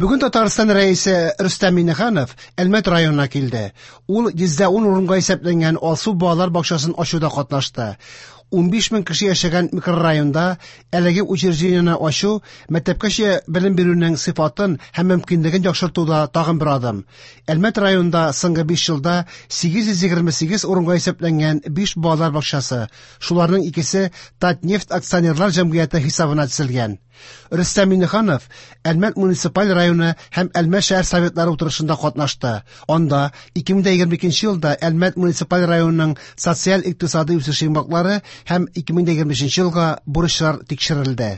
Бүген Татарстан Рәисе Рөстәм Миңнеханов Әлмәт районына килде. Ул 110 урынга исәпләнгән Алсу балалар бакчасын ачуда катнашты. 15 мең кеше яшәгән микрорайонда әлеге учреждениене ачу мәктәпкәчә белем бирүнең сыйфатын һәм мөмкинлеген яхшыртуда тагын бер адым. Әлмәт районында соңгы 5 елда 828 урынга исәпләнгән 5 балалар бакчасы, шуларның икесе Татнефть акционерлар җәмгыяте хисабына төзелгән. Рөстәм Миңнеханов Әлмәт муниципаль районы һәм Әлмәт шәһәр советлары утырышында катнашты. Анда 2022 елда Әлмәт муниципаль районының социаль-икътисади үсеше йомгаклары һәм 2025 елга бурычлар тикшерелде.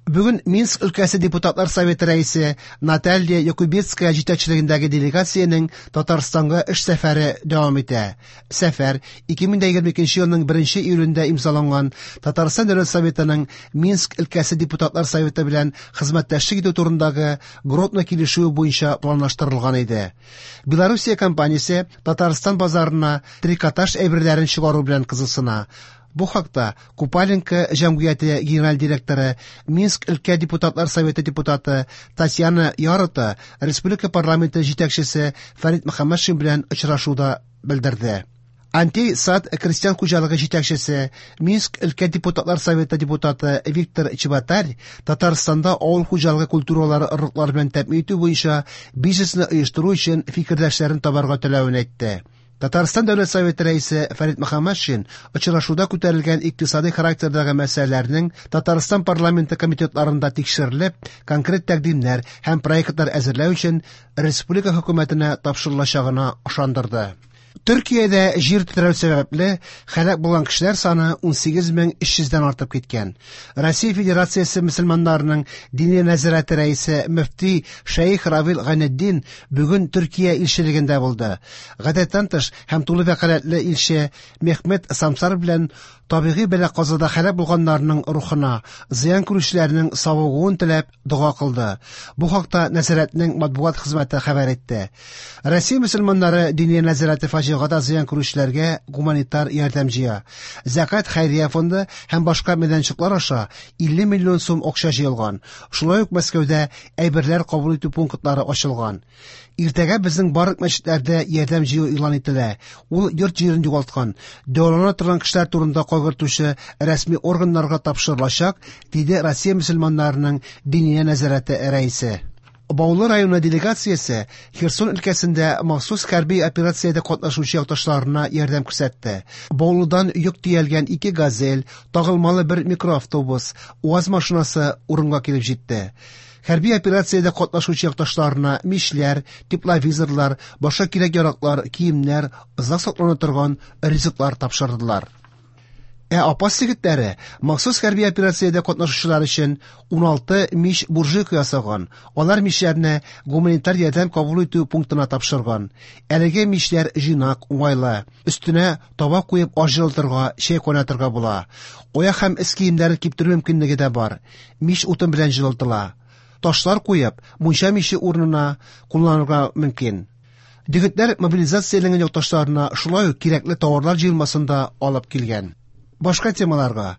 Бүген Минск өлкәсе депутатлар советы рәисе Наталья Якубецкая җитәкчелегендәге делегациянең Татарстанга эш сәфәре дәвам итә. Сәфәр 2022 елның 1 июлендә имзаланган Татарстан Дәүләт Советының Минск өлкәсе депутатлар советы белән хезмәттәшлек итү турындагы Гродно килешүе буенча планлаштырылган иде. Белоруссия компаниясе Татарстан базарына трикотаж әйберләрен чыгару белән кызыксына. Бу хакта Купаленко җәмгыяте генераль директоры, Минск өлкә депутатлар советы депутаты Татьяна Ярота республика парламенты җитәкчесе Фәрит Мөхәммәтшин белән очрашуда белдерде. Антей Сад крестьян хуҗалыгы җитәкчесе, Минск өлкә депутатлар советы депутаты Виктор Чеботарь Татарстанда авыл хуҗалыгы культуралары орлыклары белән тәэмин итү буенча бизнесны оештыру өчен фикердәшләрен табарга теләвен әйтте. Татарстан Дәүләт Советы рәисе Фәрит Мөхәммәтшин очрашуда күтәрелгән икътисади характердагы мәсьәләләрнең Татарстан парламенты комитетларында тикшерелеп, конкрет тәкъдимнәр һәм проектлар әзерләү өчен республика хөкүмәтенә тапшырылачагына ышандырды. Төркиядә җир тетрәү сәбәпле һәлак булган кешеләр саны 18300-дән артып киткән. Россия Федерациясе мөселманнарының Диния нәзарәте рәисе мөфти Шәех Равил Гайнетдин бүген Төркия илчелегендә булды. Гадәттән тыш һәм тулы вәкаләтле илче Мехмет Самсар белән табигый бәла-казада һәлак булганнарның рухына, зыян күрүчеләрнең савыгуын теләп дога кылды. Бу хакта нәзарәтнең матбугат хезмәте хәбәр итте. Россия мөселманнары Диния нәзарәте фаҗигада зыян күрүчеләргә гуманитар ярдәм җыя. Зәкат хәйрия фонды һәм башка мәйданчыклар аша 50 миллион сум акча җыелган. Шулай ук Мәскәүдә әйберләр кабул итү пунктлары ачылган. Иртәгә безнең барлык мәчетләрдә ярдәм җыю игълан ителә. Ул йорт-җирен югалткан, дәвалана торган кешеләр турында кайгыртучы рәсми органнарга тапшырылачак, диде Россия мөселманнарының Диния нәзарәте рәисе. Баулы районы делегациясе Херсон өлкәсендә махсус хәрби операциядә катнашучы якташларына ярдәм күрсәтте. Баулыдан йөк төялгән ике «Газель», тагылмалы бер микроавтобус, УАЗ машинасы урынга килеп җитте. Хәрби операциядә катнашучы якташларына мичләр, тепловизорлар, башка кирәк-яраклар, киемнәр, озак саклана торган ризыклар тапшырдылар. Ә Апас егетләре махсус хәрби операциядә катнашучылар өчен 16 мич буржуйка ясаган. Алар мичләрне гуманитар ярдәм кабул итү пунктына тапшырган. Әлеге мичләр җыйнак, уңайлы. Өстенә таба куеп аш җылытырга, чәй кайнатырга була. Аяк һәм эс киемнәрен киптерү мөмкинлеге дә бар. Мич утын белән җылытыла. Ташлар куеп, мунча миче урынына кулланырга мөмкин. Егетләр мобилизацияләнгән якташларына шулай ук кирәкле товарлар җыелмасын да алып килгән. Башка темаларга.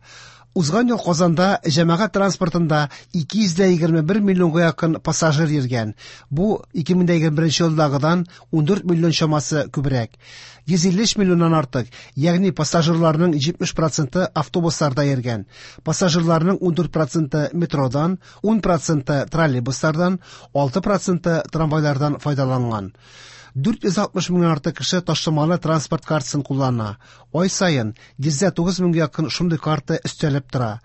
Узган ел Казанда җәмәгать транспортында 221 миллионга якын пассажир йөргән. Бу 2021 елдагыдан 14 миллион чамасы күбрәк. 153 миллионнан артык, ягъни пассажирларның 70 проценты автобусларда йөргән. Пассажирларның 14 проценты метродан, 10 проценты троллейбуслардан, 6 проценты трамвайлардан файдаланган. 460 меңнән артык кеше ташламалы транспорт картасын куллана. Ай саен 109 меңгә якын шундый карта өстәлеп тора.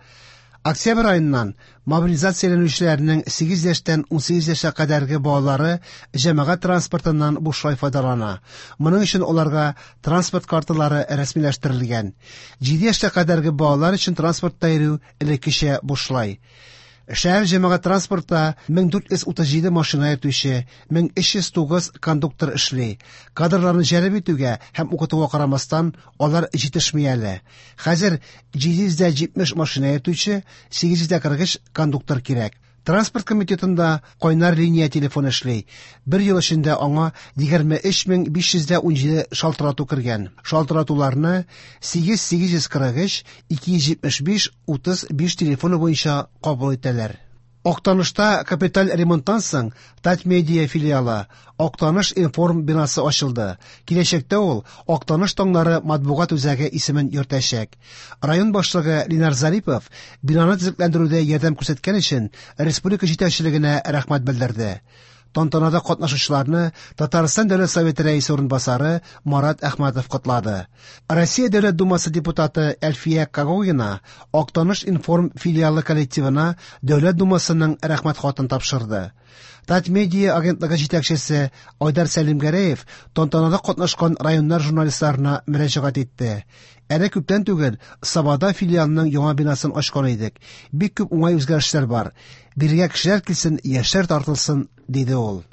Октябрь аеннан мобилизацияләнүчеләрнең 8 яшьтән 18 яшькә кадәрге балалары җәмәгать транспортыннан бушлай файдалана. Моның өчен аларга транспорт карталары рәсмиләштерелгән. 7 яшькә кадәрге балалар өчен транспортта йөрү элеккечә бушлай. Шәһәр җәмәгать транспортта 1437 машина йөртүче, 1309 кондуктор эшли. Кадрларны җәлеп итүгә һәм укытуга карамастан, алар җитешми әле. Хәзер 770 машина йөртүче, 843 кондуктор кирәк. Транспорт комитетында кайнар линия телефоны эшли. Бер ел эчендә аңа 23517 шалтырату кергән. Шалтыратуларны 8843 275 35 телефоны буенча кабул итәләр. Актанышта капиталь ремонттан соң Татмедиа филиалы Актаныш-информ бинасы ачылды. Киләчәктә ул Актаныш таңнары матбугат үзәге исемен йөртәчәк. Район башлыгы Ленар Зарипов бинаны төзекләндерүдә ярдәм күрсәткән өчен республика җитәкчелегенә рәхмәт белдерде. Тантанада катнашучыларны Татарстан Дәүләт Советы Рәисе урынбасары Марат Әхмәтов котлады. Россия Дәүләт Думасы депутаты Әлфия Когогина Актаныш-информ филиалы коллективына Дәүләт Думасының рәхмәт хатын тапшырды. Татмедиа агентлыгы җитәкчесе Айдар Сәлимгәрәев тантанада катнашкан районнар журналистларына мөрәҗәгать итте. Әле күптән түгел Сабада филиалының яңа бинасын ачкан идек. Бик күп уңай үзгәрешләр бар. Бирегә кешеләр килсен, яшьләр тартылсын, диде ул.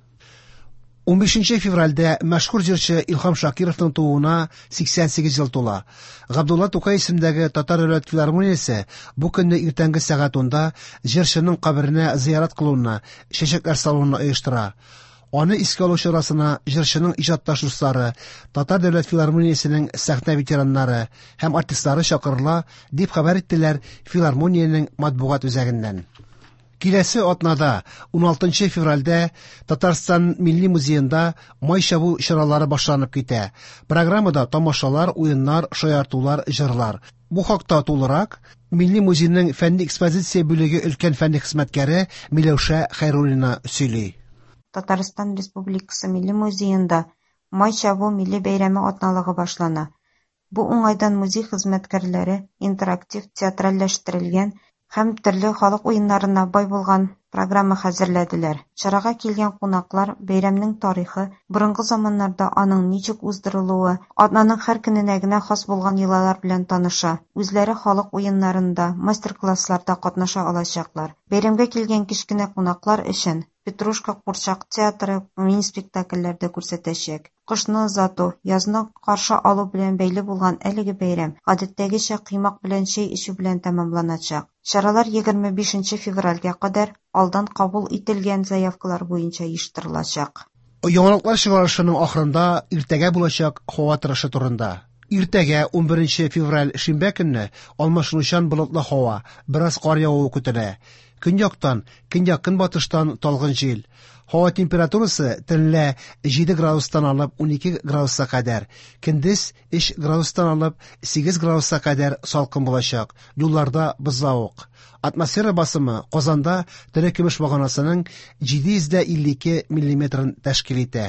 15 февральдә мәшһүр җырчы Илһам Шакировның тууына 88 ел тула. Габдулла Тукай исемендәге Татар дәүләт филармониясе бу көнне иртәнге сәгать 10-да җырчының каберенә зиярат кылуны, чәчәкләр салуны оештыра. Аны искә алу чарасына җырчының иҗатташ дуслары, Татар дәүләт филармониясенең сәхнә ветераннары һәм артистлары чакырыла, дип хәбәр иттеләр филармониянең матбугат үзәгеннән. Киләсе атнада, 16 февральдә Татарстан Милли музеенда май чабу чаралары башланып китә. Программада тамашалар, уеннар, шаяртулар, җырлар. Бу хакта тулырак Милли музейның фәнни экспозиция бүлеге өлкән фәнни хезмәткәре Миләүшә Хәйруллина сөйли. Татарстан Республикасы Милли музеенда Май чабу милли бәйрәме атналыгы башлана. Бу уңайдан музей хезмәткәрләре интерактив, театральләштерелгән һәм төрле халык уеннарына бай булган программа хәзерләделәр. Чарага килгән кунаклар бәйрәмнең тарихы, борынгы заманнарда аның ничек уздырылуы, атнаның һәр көненә генә хас булган йолалар белән таныша, үзләре халык уеннарында, мастер-классларда катнаша алачаклар. Бәйрәмгә килгән кечкенә кунаклар өчен Петрушка курчак театры мини-спектакльләр дә күрсәтәчәк. Кышны озату, язны каршы алу белән бәйле булган әлеге бәйрәм, гадәттәгечә, коймак белән чәй эчү белән тәмамланачак. Чаралар 25 февральгә кадәр алдан кабул ителгән заявкалар буенча оештырылачак. Яңалыклар чыгарылышының ахырында иртәгә булачак һава торышы турында. Иртәгә, 11 февраль шимбә көнне, алмашынучан болытлы һава, бераз кар явуы көтелә. Көньяктан, көньяк-көнбатыштан талгын җил. Һава температурасы төнлә 7 градустан алып 12 градуска кадәр, көндез 3 градустан алып 8 градуска кадәр салкын булачак. Юлларда бозлавык. Атмосфера басымы Казанда терекөмеш баганасының 752 миллиметрын тәшкил итә.